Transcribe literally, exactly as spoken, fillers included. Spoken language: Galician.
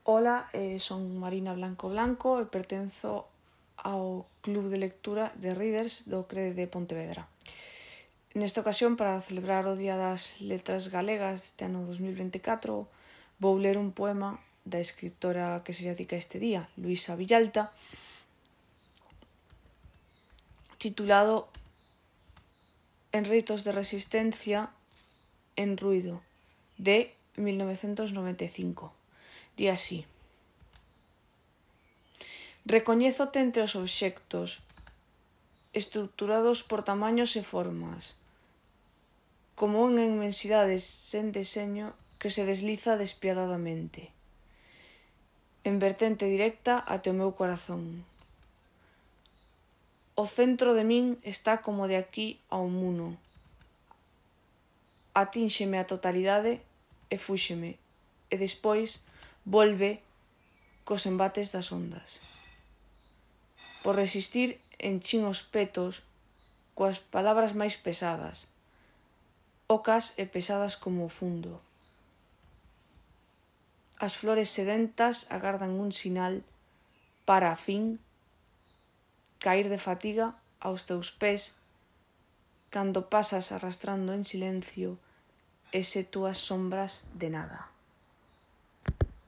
Ola, eh, son Marina Blanco Blanco e pertenzo ao Club de Lectura de Readers do C R E de Pontevedra. Nesta ocasión, para celebrar o Día das Letras Galegas este ano dos mil veinticatro, vou ler un poema da escritora que se dedica este día, Luisa Villalta, titulado Enreitos de resistencia en ruido, de mil novecentos noventa e cinco. Di así: recoñézote entre os obxectos, estruturados por tamaños e formas, como unha inmensidade sen deseño que se desliza despiadadamente, en vertente directa até o meu corazón. O centro de min está como de aquí ao muno. Atínxeme a totalidade e fúxeme, e despois volve cos embates das ondas. Por resistir, enchín os petos coas palabras máis pesadas, ocas e pesadas como o fundo. As flores sedentas agardan un sinal para, a fin, cair de fatiga aos teus pés cando pasas arrastrando en silencio ese túas sombras de nada.